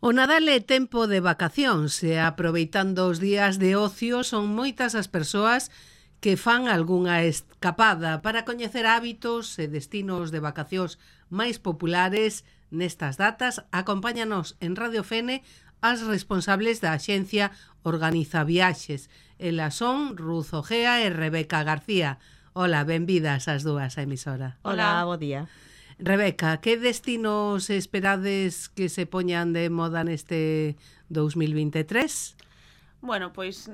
O Nadal é tempo de vacacións e aproveitando os días de ocio son moitas as persoas que fan algunha escapada para coñecer hábitos e destinos de vacacións máis populares nestas datas. Acompáñanos en Radio Fene as responsables da axencia Organiza Viaxes. Elas son Ruth Ojea e Rebeca García. Hola, benvidas as dúas a emisora. Hola, bo día. Rebeca, que destinos esperades que se poñan de moda neste 2023? Bueno, pois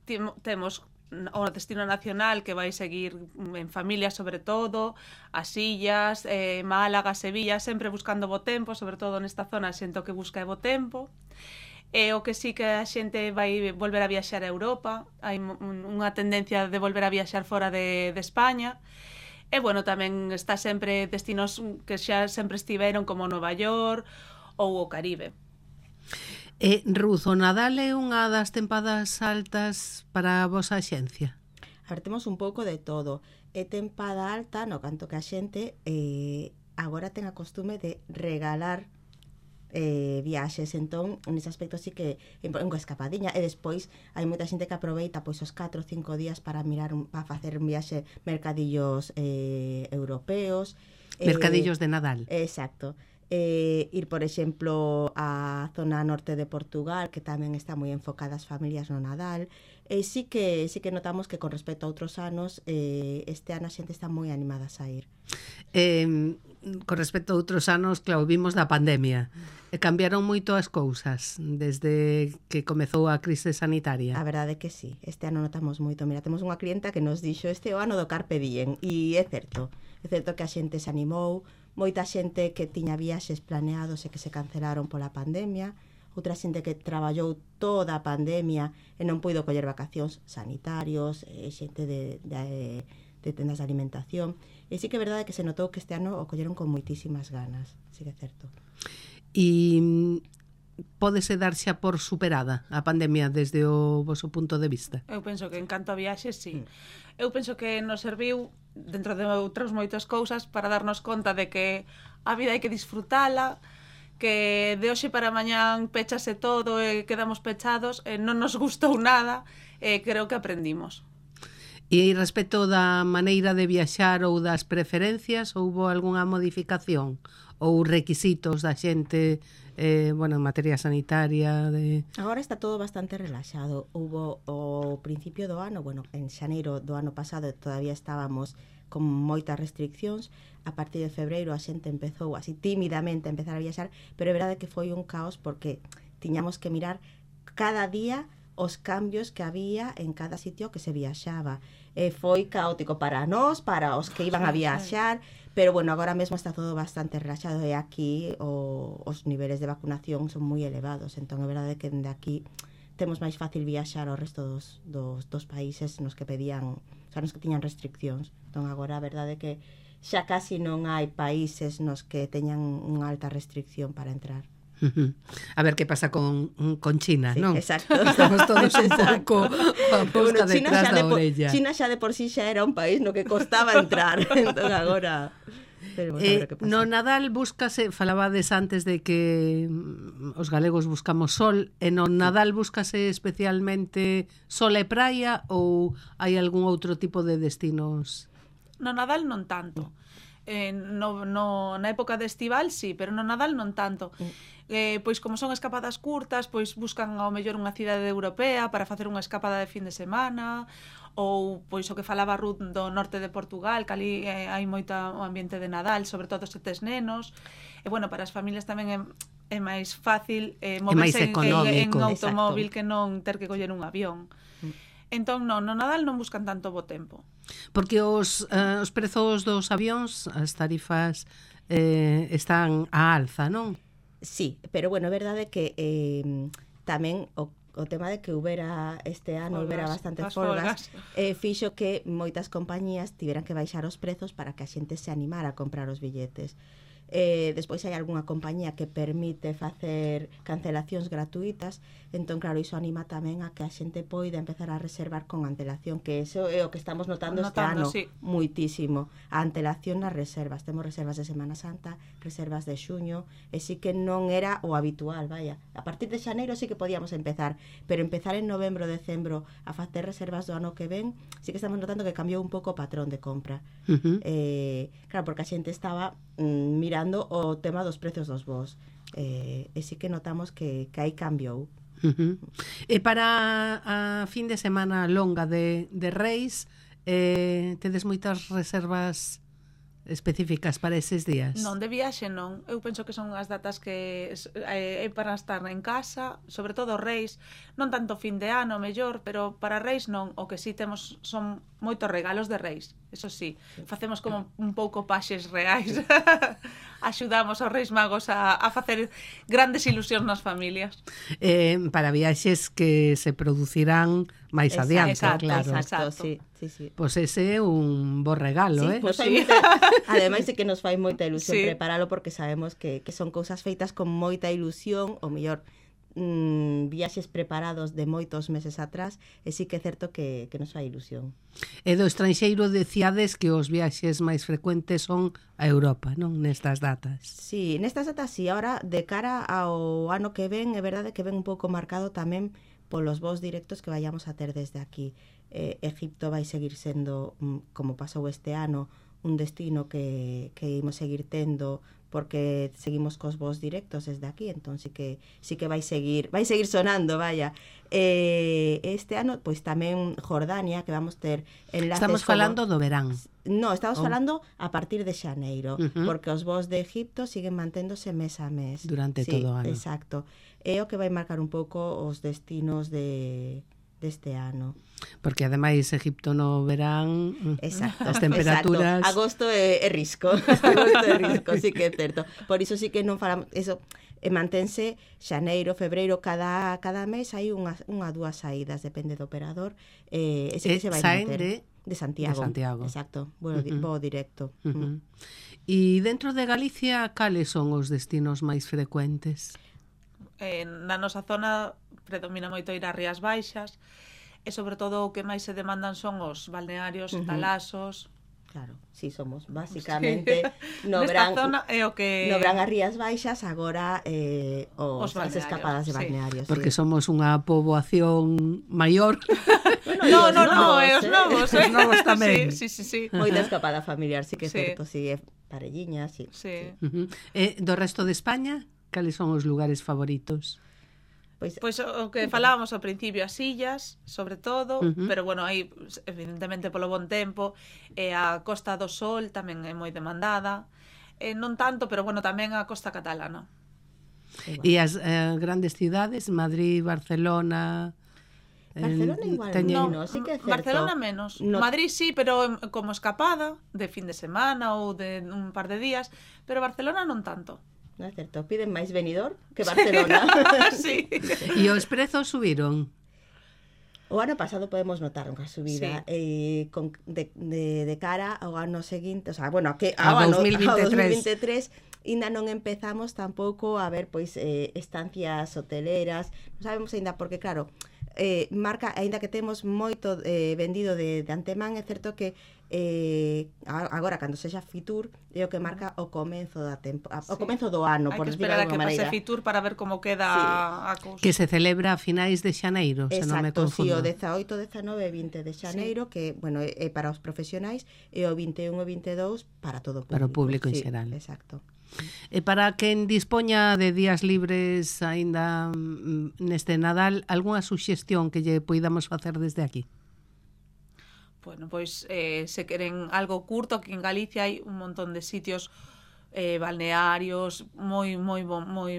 temos o destino nacional que vai seguir en familia sobre todo, as illas, Málaga, Sevilla, sempre buscando bo tempo, sobre todo nesta zona xente que busca bo tempo. O que sí que a xente vai volver a viaxar a Europa, hai unha tendencia de volver a viaxar fora de España. E, bueno, tamén está sempre destinos que xa sempre estiveron como Nova York ou o Caribe. Ruth, o Nadal é unha das tempadas altas para a vosa axencia? A ver, temos un pouco de todo. É tempada alta, no canto que a xente agora ten a costume de regalar viaxes, entón nese aspecto sí que é unha escapadiña, e despois hai moita xente que aproveita pois os 4 ou 5 días para mirar para facer un viaxe mercadillos europeos, mercadillos de Nadal. Exacto. Ir, por exemplo, á zona norte de Portugal, que tamén está moi enfocada as familias no Nadal. Sí que notamos que con respecto a outros anos, este ano a xente está moi animada a sair. Con respecto a outros anos, claro, vimos da pandemia. Cambiaron moito as cousas desde que comezou a crise sanitaria. A verdade é que sí, este ano notamos moito. Mira, temos unha clienta que nos dixo este o ano do Carpe Diem, e é certo que a xente se animou, moita xente que tiña viaxes planeados e que se cancelaron pola pandemia, outra xente que traballou toda a pandemia e non puido coller vacacións, sanitarios, xente de tendas de alimentación. E sí que é verdade que se notou que este ano o colleron con moitísimas ganas, sí que é certo. E pódese dar xa por superada a pandemia desde o voso punto de vista? Eu penso que en canto a viaxes, sí. Eu penso que nos serviu, dentro de outras moitas cousas, para darnos conta de que a vida hai que disfrutala, que de hoxe para mañán pechase todo e quedamos pechados, non nos gustou nada, creo que aprendimos. E respecto da maneira de viaxar ou das preferencias, houbo algunha modificación ou requisitos da xente, en materia sanitaria? Agora está todo bastante relaxado. Houbo o principio do ano, en xaneiro do ano pasado todavía estábamos con moitas restriccións. A partir de febreiro a xente empezou así tímidamente a empezar a viaxar, pero é verdade que foi un caos porque tiñamos que mirar cada día os cambios que había en cada sitio que se viaxaba. Foi caótico para nós, para os que iban a viaxar, pero agora mesmo está todo bastante relaxado, e aquí os niveles de vacunación son moi elevados, entón é verdade que dende aquí temos máis fácil viaxar ao resto dos países nos que pedían, nos que tiñan restriccións. Entón agora a verdade é que xa casi non hai países nos que teñan unha alta restricción para entrar. A ver que pasa con China, sí, non? Exacto. Estamos todos un pouco a busca detrás da orella. China xa de por sí xa era un país no que costaba entrar. Entón agora no Nadal búscase, falabades antes de que os galegos buscamos sol, e no Nadal búscase especialmente sol e praia, ou hai algún outro tipo de destinos? No Nadal non tanto. Na época de estival sí, pero no Nadal non tanto. Pois como son escapadas curtas, pois buscan ao mellor unha cidade europea para facer unha escapada de fin de semana, ou pois o que falaba Ruth do norte de Portugal, que ali hai moito ambiente de Nadal, sobre todo se tes nenos. E para as familias tamén é máis fácil moverse en automóvil, que non ter que coller un avión. Entón, no Nadal non buscan tanto bo tempo. Porque os prezos dos avións, as tarifas están á alza, non? Sí, pero é verdade que tamén o tema de que houbera este ano houbera bastantes folgas, fixo que moitas compañías tiveran que baixar os prezos para que a xente se animara a comprar os billetes. Despois hai algunha compañía que permite facer cancelacións gratuitas, entón claro, iso anima tamén a que a xente poida empezar a reservar con antelación, que eso é o que estamos notando este ano, sí. muitísimo, a antelación nas reservas. Temos reservas de Semana Santa, reservas de xuño, e sí que non era o habitual, vaya. A partir de xaneiro sí que podíamos empezar, pero empezar en novembro, decembro a facer reservas do ano que ven, sí que estamos notando que cambiou un pouco o patrón de compra. Claro, porque a xente estaba mirando o tema dos precios dos voos, e sí que notamos que aí cambiou. E para a fin de semana longa de Reis, tedes moitas reservas específicas para eses días? Non, de viaxe non. Eu penso que son as datas que é para estar en casa, sobre todo Reis, non tanto fin de ano, mellor, pero para Reis non. O que sí temos son moitos regalos de Reis. Eso sí, facemos como un pouco paxes reais. Axudamos aos Reis Magos a facer grandes ilusións nas familias. Para viaxes que se producirán máis adiante, claro. Exacto, sí. Pois ese é un bo regalo, sí, pues sí. Ademais de que nos fai moita ilusión preparalo, porque sabemos que son cousas feitas con moita ilusión, ou mellor viaxes preparados de moitos meses atrás, e sí que é certo que nos fai ilusión. E do estranxeiro decíades que os viaxes máis frecuentes son a Europa, non? Nestas datas. Sí, nestas datas sí. Ahora, de cara ao ano que ven, é verdade que ven un pouco marcado tamén polos voos directos que vayamos a ter desde aquí. Egipto vai seguir sendo, como pasou este ano, un destino que imos seguir tendo, porque seguimos cos voos directos desde aquí, entón sí que vai seguir sonando, vaya. Este ano, pois tamén Jordania, que vamos ter enlaces. Estamos falando do verán. No, estamos falando a partir de xaneiro, porque os voos de Egipto siguen manténdose mes a mes. Durante todo o ano. Exacto. É o que vai marcar un pouco os destinos deste ano. Porque ademais Egipto no verán, exacto, as temperaturas... Exacto. Agosto é risco. Agosto é risco, sí que é certo. Por iso sí que non falamos... Eso, mantense xaneiro, febreiro, cada mes hai unha dúas saídas, depende do operador. Ese que se vai manter. De Santiago. Exacto, voo directo. E dentro de Galicia, cales son os destinos máis frecuentes? Na nosa zona predomina moito ir ás Rías Baixas, e sobre todo o que máis se demandan son os balnearios, talasos. Claro, sí, somos basicamente no verán as Rías Baixas, agora as escapadas de balnearios. Porque somos unha poboación maior. No, os novos. Os novos tamén. Sí. Moita escapada familiar, sí que é certo, sí, parelliñas, sí. Do resto de España, cales son os lugares favoritos? Pois o que falábamos ao principio, as illas, sobre todo, pero bueno, aí evidentemente polo bon tempo, a Costa do Sol tamén é moi demandada, non tanto, pero bueno, tamén a costa catalana. E as grandes cidades, Madrid, Barcelona... Barcelona igual menos, sí que é certo. Barcelona menos. Madrid sí, pero como escapada de fin de semana ou de un par de días, pero Barcelona non tanto. Non é certo, piden máis Benidorm que Barcelona. Sí. E os prezos subiron? O ano pasado podemos notar unha subida, de cara ao ano seguinte, o sea, bueno, ao 2023 ainda non empezamos tampouco a ver pois estancias hoteleras, non sabemos ainda porque claro, marca, aínda que temos moito vendido de antemán, é certo que agora cando sexa Fitur é o que marca o comenzo da o comenzo do ano, por decirlo de alguma maneira. Hai que esperar a que pase Fitur para ver como queda a cousa. Que se celebra a finais de xaneiro, se non me confundo. Exacto, sí, o 18, 19 e 20 de xaneiro, que, bueno, é para os profesionais, e o 21 e 22 para todo o público. Para o público en xeral. Exacto. E para quen dispoña de días libres aínda neste Nadal, algunha suxestión que lle poidamos facer desde aquí? Bueno, pois se queren algo curto, aquí en Galicia hai un montón de sitios balnearios moi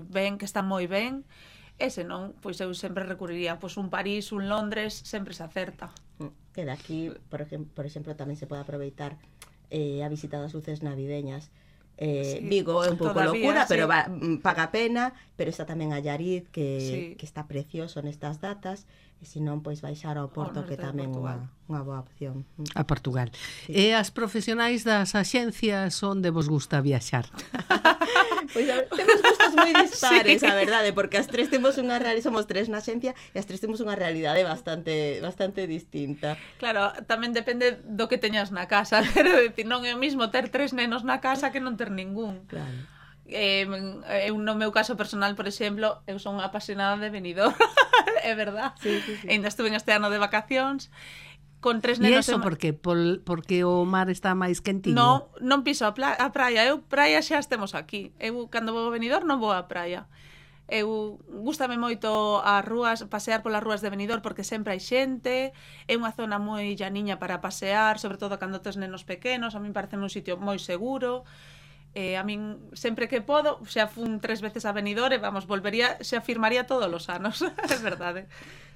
ben, que están moi ben. E se non, pois eu sempre recurriría pois un París, un Londres, sempre se acerta. Que daqui, por exemplo, tamén se pode aproveitar a visita das luces navideñas, Vigo é un pouco todavía, locura, pero paga pena, pero está tamén Allariz que está precioso nestas datas, e se non, pois baixar ao Porto, que tamén é unha boa opción. A Portugal. E as profesionais das axencias, onde vos gusta viaxar? Pois a ver, temos gustos moi dispares, a verdade, porque as tres temos unha realidade, somos tres na axencia, e as tres temos unha realidade bastante distinta. Claro, tamén depende do que teñas na casa, quero dicir, non é o mismo ter 3 nenos na casa que non ter ningún. Claro. Eu no meu caso personal, por exemplo, eu son apasionada de Benidorm, é verdad. Sí. Ainda estuve este ano de vacacións con 3 E nenos. iso porque o mar está máis quentiño? Non piso a praia, eu praia xa estemos aquí. Eu cando vou a Benidorm non vou á praia. Eu gústame moito as rúas, pasear polas rúas de Benidorm porque sempre hai xente, é unha zona moi llaniña para pasear, sobre todo cando tes nenos pequenos, a min parece un sitio moi seguro. A min sempre que podo, xa fun 3 veces a Benidorm e vamos, volvería, xa firmaría todos os anos, é verdade.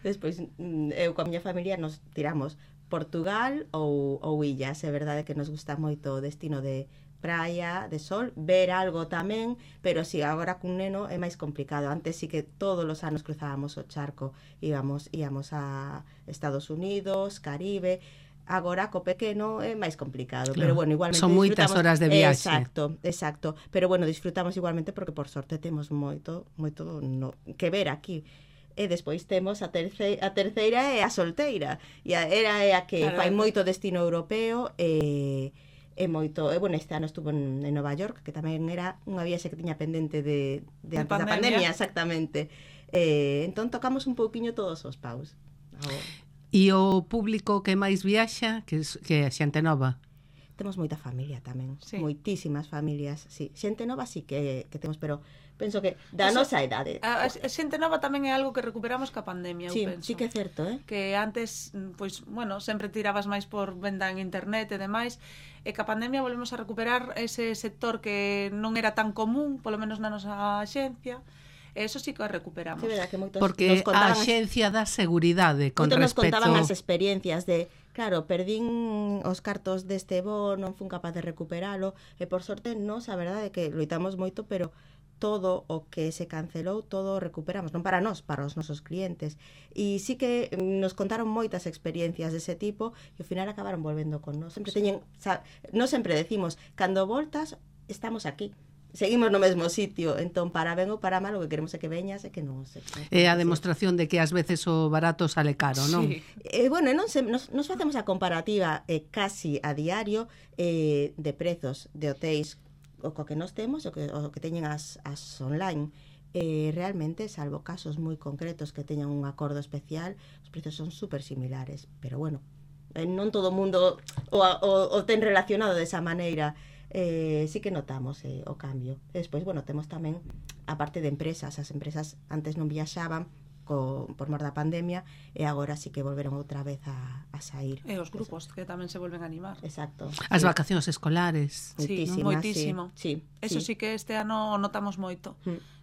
Despois, eu coa miña familia nos tiramos Portugal ou illas, é verdade que nos gusta moito o destino de praia, de sol, ver algo tamén, pero si agora cun neno é máis complicado. Antes sí que todos os anos cruzábamos o charco, íamos a Estados Unidos, Caribe. Agora co pequeno é máis complicado, claro, pero bueno, igualmente son moitas horas de viaxe. Exacto, pero bueno, disfrutamos igualmente porque por sorte temos moito que ver aquí. E despois temos a terceira é a solteira, e era a que fai moito destino europeo e moito, bueno, este ano estuvo en Nova York, que tamén era unha viaxe que tiña pendente de antes da pandemia, exactamente. Entón tocamos un pouquiño todos os paus. E o público que máis viaxa, que é a xente nova? Temos moita familia tamén, moitísimas familias, sí. Xente nova sí que temos, pero penso que da nosa idade. A xente nova tamén é algo que recuperamos ca pandemia, eu penso. Sí que é certo, Que antes, pois, bueno, sempre tirabas máis por venda en internet e demais, e ca pandemia volvemos a recuperar ese sector que non era tan común, polo menos na nosa axencia. Eso sí que recuperamos. Sí, verdad, que moitos porque a axencia dá seguridade con respecto... Nos contaban as experiencias de, claro, perdín os cartos deste bo, non fun capaz de recuperalo, e por sorte nos, a verdade, que loitamos moito, pero todo o que se cancelou, todo recuperamos, non para nós, para os nosos clientes. E sí que nos contaron moitas experiencias dese tipo, e ao final acabaron volvendo con nós. Sempre teñen, nós sempre decimos, cando voltas, estamos aquí. Seguimos no mesmo sitio, entón para ben ou para mal o que queremos é que veñas e que non se... É a demostración de que ás veces o barato sale caro, non? Sí. Bueno, nos facemos a comparativa casi a diario de prezos de hotéis o co que nos temos, o que teñen as online. Realmente, salvo casos moi concretos que teñan un acordo especial, os prezos son super similares, pero bueno, non todo o mundo o ten relacionado desa maneira. Sí que notamos o cambio. Despois, bueno, temos tamén a parte de empresas. As empresas antes non viaxaban por mor da pandemia e agora sí que volveron outra vez a sair. E os grupos que tamén se volven a animar. Exacto. As vacacións escolares. Sí, moitísimo. Sí. Eso sí que este ano notamos moito.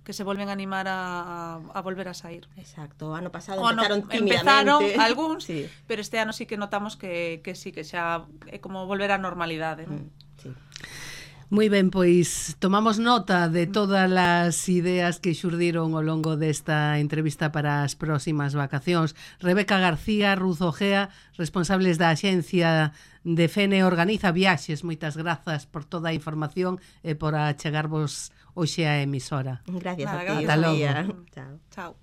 Que se volven a animar a volver a sair. Exacto. O ano pasado empezaron tímidamente. Algúns, pero este ano sí que notamos que sí, que xa é como volver á normalidade, non? Sí. Moi ben, pois tomamos nota de todas as ideas que xurdiron ao longo desta entrevista para as próximas vacacións. Rebeca García, Ruth Ojea, responsables da axencia de Fene Organiza Viaxes. Moitas grazas por toda a información e por achegarvos hoxe á emisora. Gracias a ti. Ata logo. Chao.